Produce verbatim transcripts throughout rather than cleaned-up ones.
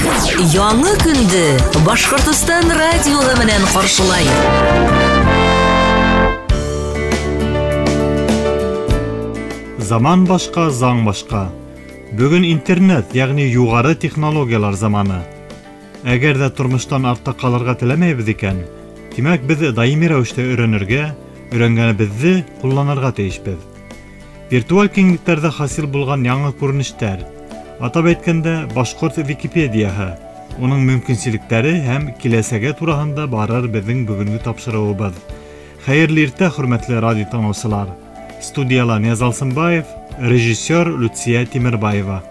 Яңы көндө Башҡортостан радиоһы менән ҡаршылай. Заман башҡа, заң башҡа. Бөгөн интернет, йәғни юғары технологиялар заманы. Әгәр ҙә тормоштан артта ҡалырға теләмәйбеҙ икән, тимәк беҙ даими рәүештә өйрәнергә, өйрәнгәнебеҙҙе ҡулланырға тейешбеҙ. Виртуаль киңлектәрҙә хасил булған яңы күренештәр, атап әйткәндә, башҡорт Википедияһы, уның мөмкинселектәре һәм киләсәге тураһында барыр беҙҙең бөгөнгө тапшырыуыбыҙ. Хәйерле иртә, хөрмәтле радио тыңлаусылар. Студияла Нияз Алсынбаев, режиссер Люция Тимербаева.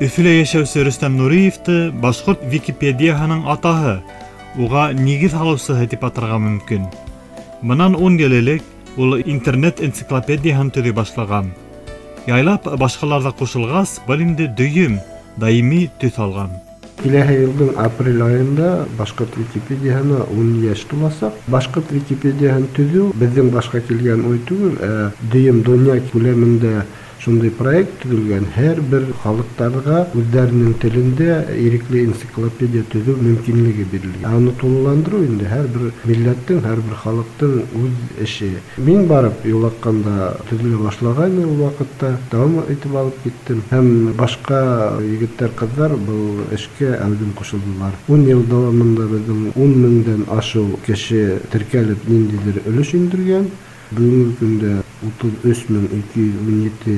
Өфөлә йәшәүсе Рөстәм Нуриевты башҡорт Википедияһының атаһы, уға нигеҙ һалыусыһы тип атарға мөмкин. Бынан ун йыл элек ул интернет энциклопедияһын төҙөй башлаған. Яйлап башҡалар ҙа ҡушылғас, был инде дөйөм, даими төҫ алған. Киләһе йылдың апрель айында башҡорт Википедияһына ун йәш туласаҡ. Башҡорт Википедияһын төҙөү беҙҙең башҡа килгән уй түгел, ә дөйөм донъя күләмендә шундай проект төҙөлгән. Һәр бер халыҡтарға үҙҙәренең телендә ирекле энциклопедия төҙөү мөмкинлеге бирелгән. Аны тулыландырыу инде һәр бер милләттең, һәр бер халыҡтың үҙ эше. Мин барып юлаҡҡанда төҙөлә башлаған ул ваҡытта дауам итеп алып киттем. Һәм башҡа егеттәр, ҡыҙҙар был эшкә әүҙем ҡушылдылар. Ун йыл дауамында беҙҙең ун меңдән ашыу кеше теркәлеп ниндәйҙер өлөш индергән. Бөгөнгө көндә утыҙ өс мең ике йөҙ ун ете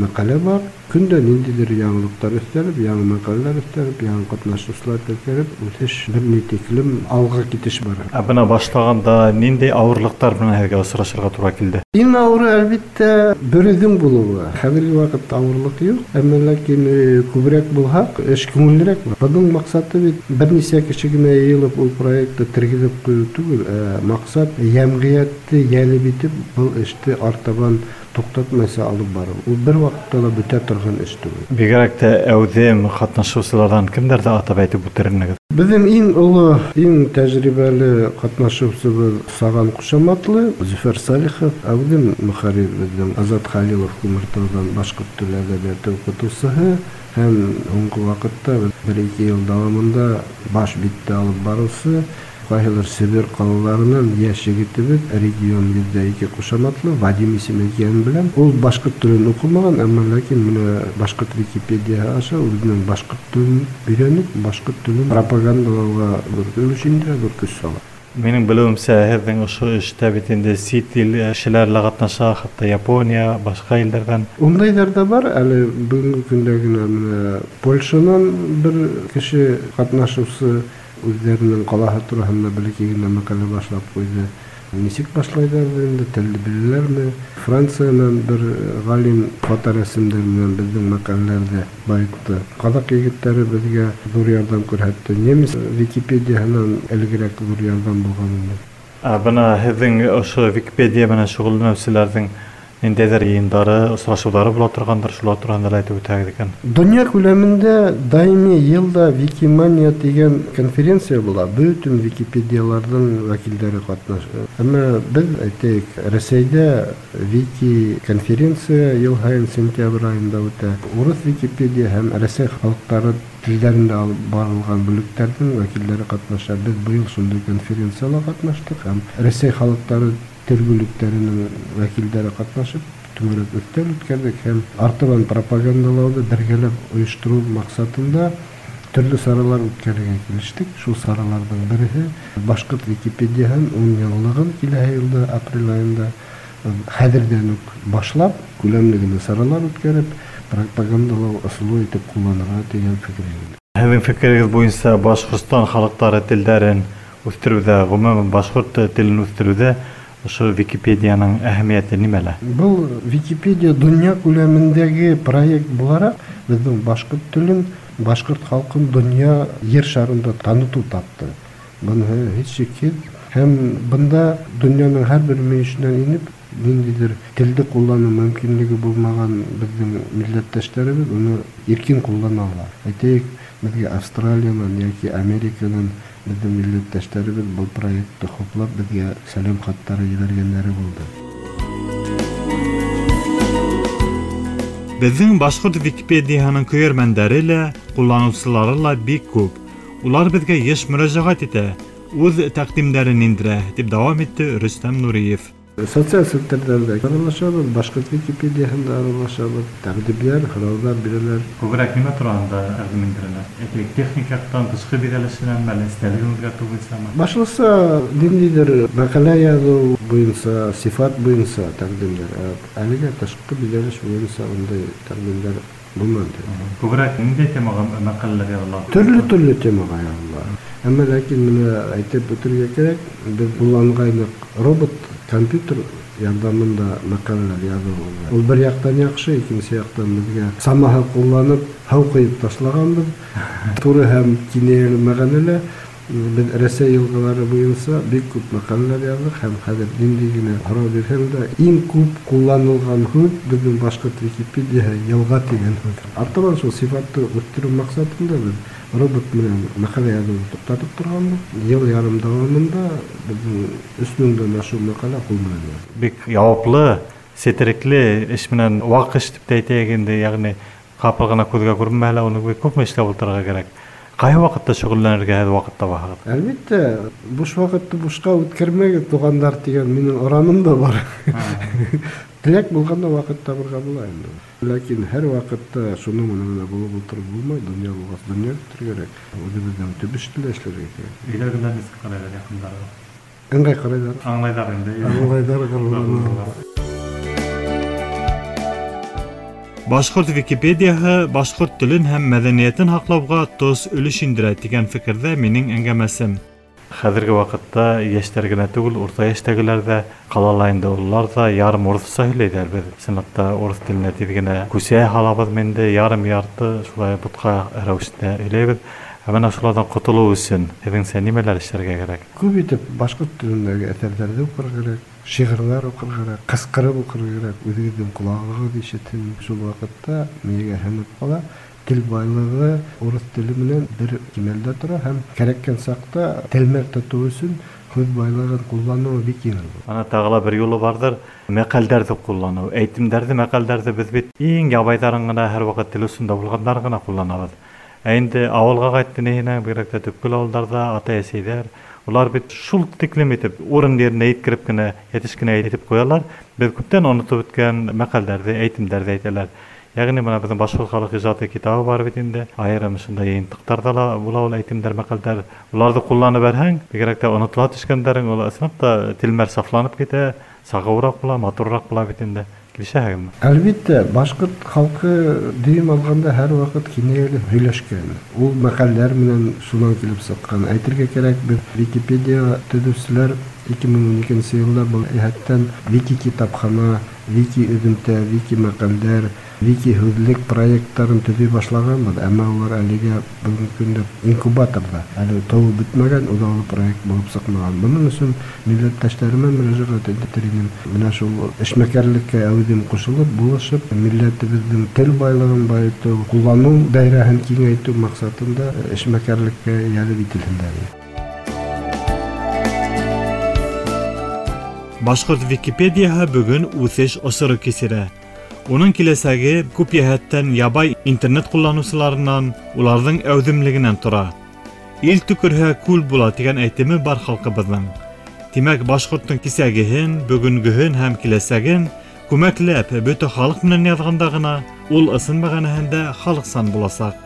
мәҡәлә бар. Көндә ниндәйҙер яңылыҡтар өҫтәлеп, яңы мәҡәләләр өҫтәлеп, яңы ҡатнашыусылар теркәлеп, үҫеш бер ни тиклем алға китеш бара. Ә бына башлағанда ниндәй ауырлыҡтар менән һеҙгә осрашырға тура килде? Иң ауыры, әлбиттә, бер үҙең булыуы. Хәҙерге ваҡытта ауырлыҡ юҡ, әммә ләкин күберәк булһаҡ, эш күңеллерәк була. Бының маҡсаты бит бер нисә кеше генә йыйылып ул проектты тергеҙеп ҡуйыу түгел, ә маҡсат йәмғиәтте йәлеп итеп был эште артабан туҡтатмайса алып барыу. Ул бер ваҡытта ла бөтә торған эш түгел. Бигерәк тә әүҙем ҡатнашыусыларҙан кемдәрҙе атап әйтеп үтер инегеҙ? Беҙҙең иң оло, иң тәжрибәле ҡатнашыусыбыҙ Саған ҡушаматлы Зөфәр Салихов, әүҙем мөхәррир беҙҙең Азат Халилов Күмертауҙан башҡорт теле әҙәбиәте уҡытыусыһы һәм һуңғы ваҡытта бер-ике йыл дауамында баш битте алып барыусы ҡайһылыр Себер ҡалаларынан йәш егетебеҙ регион йөҙҙә ике ҡушаматлы Вадим исеме икәнен беләм. Ул башҡорт телен уҡымаған, әммә ләкин менә башҡорт Википедияһы аша үҙенең башҡорт телен өйрәнеп, башҡорт телен пропагандалауға ҙур өлөш индерә, ҙур көс сала. Минең белеүемсә, һеҙҙең ошо эштә бит инде сит ил кешеләре лә ҡатнаша, хатта Япония, башҡа илдәрҙән. Ундайҙар ҙа бар. Әле бөгөнгө көндә генә менә Польшанан бер кеше ҡатнашыусы үҙҙәренең ҡалаһы тураһында бәләкәй генә мәҡәлә башлап ҡуйҙы. Нисек башлайҙар инде, телде беләләрме? Франциянан бер ғалим фоторәсемдәр менән беҙҙең мәҡәләләрҙе байытты. Ҡаҙаҡ егеттәре беҙгә ҙур ярҙам күрһәтте. Немец Википедияһынан элегерәк ҙур ярҙам булған инде. Ә бына һеҙҙең ошо Википедия менән шөғөлләнеүселәрҙең ниндәйҙер йыйындары, осрашыуҙары була торғандыр, шулар тураһында ла әйтеп үтәгеҙ икән. Донъя күләмендә даими йылда Викимания тигән конференция була. Бөтөн Википедияларҙың вәкилдәре ҡатнаша. Әммә беҙ, әйтәйек, Рәсәйҙә Вики конференция йыл һайын сентябрь айында үтә. Урыҫ Википедия һәм Рәсәй халыҡтары телдәрендә алып барылған бүлектәрҙең вәкилдәре ҡатнаша. Беҙ быйыл шундай конференцияла ҡатнаштыҡ һәм Рәсәй халыҡтары тел бүлектәренең вәкилдәре ҡатнашып түңәрәк өҫтәл үткәрҙек һәм артабан пропагандалауҙы бергәләп ойоштороу маҡсатында төрлө саралар үткәрергә килештек. Шул сараларҙың береһе башҡорт Википедияһын ун йыллығын киләһе йылда апрель айында хәҙерҙән үк башлап күләмле генә саралар үткәреп пропагандалау ысулы итеп ҡулланырға тигән фекергә килдек. Һеҙҙең фекерегеҙ буйынса Башҡортостан халыҡтары телдәрен үҫтереүҙә, ғөмүмән башҡорт телен үҫтереүҙә ошо Википедияның әһәмиәте нимәлә? Был Википедия донъя күләмендәге проект булараҡ беҙҙең башҡорт телен, башҡорт халҡын донъя ер шарында танытыу тапты. Быныһы һис шикһеҙ. Һәм бында донъяның һәр бер мөйөшөнән инеп ниндәйҙер телде ҡулланыу мөмкинлеге булмаған беҙҙең милләттәштәребеҙ уны иркен ҡуллана ала. Әйтәйек, беҙгә Австралиянан йәки Американан беҙҙең милләттәштәребеҙ был проектты хуплап беҙгә сәләм хаттары ебәргәндәре булды. Беҙҙең башҡорт Википедияһының көйәрмәндәре лә, ҡулланыусылары ла бик күп. Улар беҙгә йыш мөрәжәғәт итә, үҙ тәҡдимдәрен индерә, тип дауам итте Рөстәм Нуриев. Социаль селтәрҙәрҙә аралашабыҙ, башҡорт Википедияһында аралашабыҙ, тәҡдимдәр, һорауҙар бирәләр. Күберәк нимә тураһында тәҡдим индерәләр? Әйтәйек, техник яҡтан, тышҡы биҙәлешенән, әллә эстәлеген үҙгәртеү буйынсамы? Башлыса ниндәйҙер мәҡәлә яҙыу буйынса, сифат буйынса тәҡдимдәр. Әлегә тышҡы биҙәлеш буйынса ундай тәҡдимдәр булманы. Күберәк ниндәй темаға мәҡәләләр яҙыла? Төрлө-төрлө темаға яҙыла. Әммә ләкин менә әйтеп үтергә кәрәк, беҙ ҡулланғайныҡ робот, компьютер ярҙамында мәҡәләләр яҙыу. Ул бер яҡтан яҡшы, икенсе яҡтан беҙгә самаһы ҡулланып, һыу ҡойоп ташлағанбыҙ. Туры һәм кинәйәле мәғәнәлә беҙ Рәсәй йылғалары буйынса бик күп мәҡәләләр яҙҙыҡ һәм хәҙер ниндәй генә һорау бирһәң дә иң күп ҡулланылған һүҙ беҙҙең башҡорт Википедияһы йылға тигән һүҙ. Артабан шул сифатты үҫтереү маҡсатында беҙ робот менән мәҡәлә яҙыуҙы туҡтатып торғанбыҙ. Йыл ярым дауамында беҙҙең өс меңдән ашыу мәҡәлә ҡул менән яҙылды. Бик яуаплы, сетерекле эш менән ваҡ эш тип тә әйтәйек инде, йәғни ҡапыл ғына күҙгә күренмәһә лә уны бик күпме эшләп ултырырға кәрәк. Ҡайһы ваҡытта шөғөлләнергә һеҙ ваҡыт табаһығыҙ? Әлбиттә, буш ваҡытты бушҡа үткәрмәгеҙ, туғандар тигән минең ораным да бар. Теләк булғанда ваҡыт табырға була инде. Ләкин һәр ваҡытта шуның менән генә булып ултырып булмай, донъя булғас донъя көтөргә кәрәк. Үҙебеҙҙең төп эште лә эшләргә кәрәк. Өйҙәгеләр нисек ҡарайҙар яҡындарығыҙ? Ыңғай ҡарайҙар. Аңлайҙар инде. Аңлайҙар, ғорурланалар. Башҡорт Википедияһы башҡорт телен һәм мәҙәниәтен һаҡлауға тос өлөш индерә тигән фекерҙә минең әңгәмәсем. Хәҙерге ваҡытта йәштәр генә түгел, урта йәштәгеләр ҙә, ҡалала инде улар ҙа ярым урыҫса һөйләйҙәр. Беҙ ысынлап та урыҫ теленә тиҙ генә күсә һалабыҙ инде, ярым ярты шулай бутҡа рәүештә һөйләйбеҙ. Ә бына шуларҙан ҡотолоу өсөн һеҙҙеңсә нимәләр эшләргә кәрәк? Күп итеп башҡорт телендәге әҫәрҙәрҙе уҡырға кәрәк, шиғырҙар уҡырға кәрәк, ҡысҡырып уҡырға кәрәк, үҙегеҙҙең ҡолағығыҙ ишетһен. Шул ваҡытта мейегә һеңеп ҡала. Тел байлығы урыҫ теле менән бер кимәлдә тора һәм кәрәккән саҡта телмәр тотоу өсөн һүҙ байлығын ҡулланыу бик еңел була. Ана тағы ла бер юлы барҙыр, мәҡәлдәрҙе ҡулланыу. Әйтемдәрҙе, мәҡәлдәрҙе беҙ бит иң ябайҙарын ғына һәр ваҡыт тел осонда булғандарын ғына ҡулланабыҙ. Ә инде ауылға ҡайтты ниһенә, бигерәк тә төпкөл ауылдарҙа атай-әсәйҙәр, улар бит шул тиклем итеп урын еренә еткереп кенә, йәтеш кенә әйтеп ҡуялар. Беҙ күптән онотоп бөткән мәҡәлдәрҙе, әйтемдәрҙе әйтәләр. Йәғни бына беҙҙең башҡорт халыҡ ижады китабы бар бит инде. Айырым шундай йыйынтыҡтарҙа ла була ул әйтемдәр, мәҡәлдәр. Уларҙы ҡулланып бәрһәң, бигерәк тә онотола төшкәндәрең, ул ысынлап та телмәр сафланып китә, сағыуыраҡ була, матурыраҡ була бит инде. Килешәһегеҙме? Әлбиттә, башҡорт халҡы дөйөм алғанда һәр ваҡыт кинәйәле һөйләшкән. Ул мәҡәлдәр менән шунан килеп сыҡҡан. Әйтергә кәрәк, беҙ Википедия төҙөүселәр ике мең ун икенсе йылда был йәһәттән Вики китапхана, Вики өҙөмтә, Вики мәҡәлдәр, Вики һүҙлек проекттарын төҙөй башлағанбыҙ, әммә улар әлегә бөгөнгө көндә инкубаторҙа, әле тыуып бөтмәгән, үҙаллы проект булып сыҡмаған. Бының өсөн милләттәштәремә мөрәжәғәт итер инем. Менә шул эшмәкәрлеккә әүҙем ҡушылып, булышып, милләтебеҙҙең тел байлығын байытыу, ҡулланыу даирәһен киңәйтеү маҡсатында эшмәкәрлеккә йәлеп ителһендәр. Башҡорт Википедияһы бөгөн үҫеш осоро кисерә. Уның киләсәге күп йәһәттән ябай интернет ҡулланыусыларынан, уларҙың әүҙемлегенән тора. Ил төкөрһә күл була тигән әйтеме бар халҡыбыҙҙың. Тимәк, башҡорттоң кисәгеһен, бөгөнгөһөн һәм киләсәген күмәкләп бөтә халыҡ менән яҙғанда ғына ул ысын мәғәнәһендә халыҡсан буласаҡ.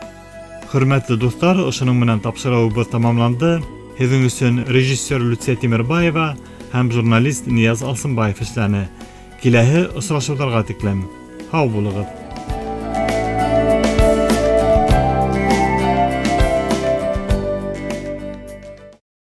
Хөрмәтле дуҫтар, ошоноң менән тапшырыуыбыҙ тамамланды. Һеҙҙең өсөн режиссер Люция Тимербаева һәм журналист Нияз Алсынбаев эшләне. Киләһе осрашыуҙарға тиклем. Һау булығыҙ.